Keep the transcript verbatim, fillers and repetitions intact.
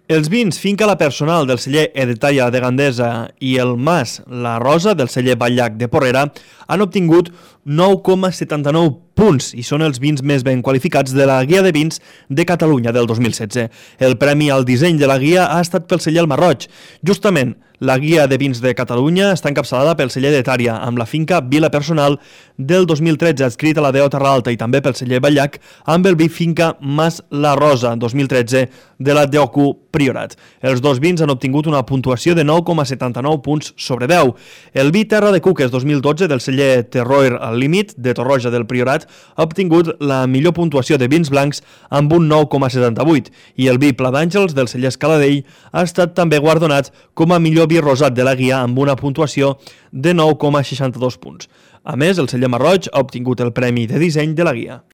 Els vins Finca La Personal del celler Edetalla de Gandesa i el Mas La Rosa del celler Batllac de Porrera han obtingut nou coma setanta-nou punts i són els vins més ben qualificats de la Guia de Vins de Catalunya del dos mil setze. El premi al disseny de la guia ha estat pel celler El Marroig. Justament, la Guia de Vins de Catalunya està encapçalada pel celler de Tària, amb la finca Vila Personal del dos mil tretze, adscrit a la D O Terra Alta, i també pel celler Batllac, amb el vi finca Mas La Rosa, dos mil tretze, de la D O C U Priorat. Els dos vins han obtingut una puntuació de nou coma setanta-nou punts sobre deu. El vi Terra de Cuques dos mil dotze del celler Terroir al Límit, de Torroja del Priorat, ha obtingut la millor puntuació de vins blancs amb un nou coma setanta-vuit, i el vi Pla d'Àngels del celler Escaladell ha estat també guardonat com a millor vi rosat de la guia amb una puntuació de nou coma seixanta-dos punts. A més, el celler Marroig ha obtingut el premi de disseny de la guia.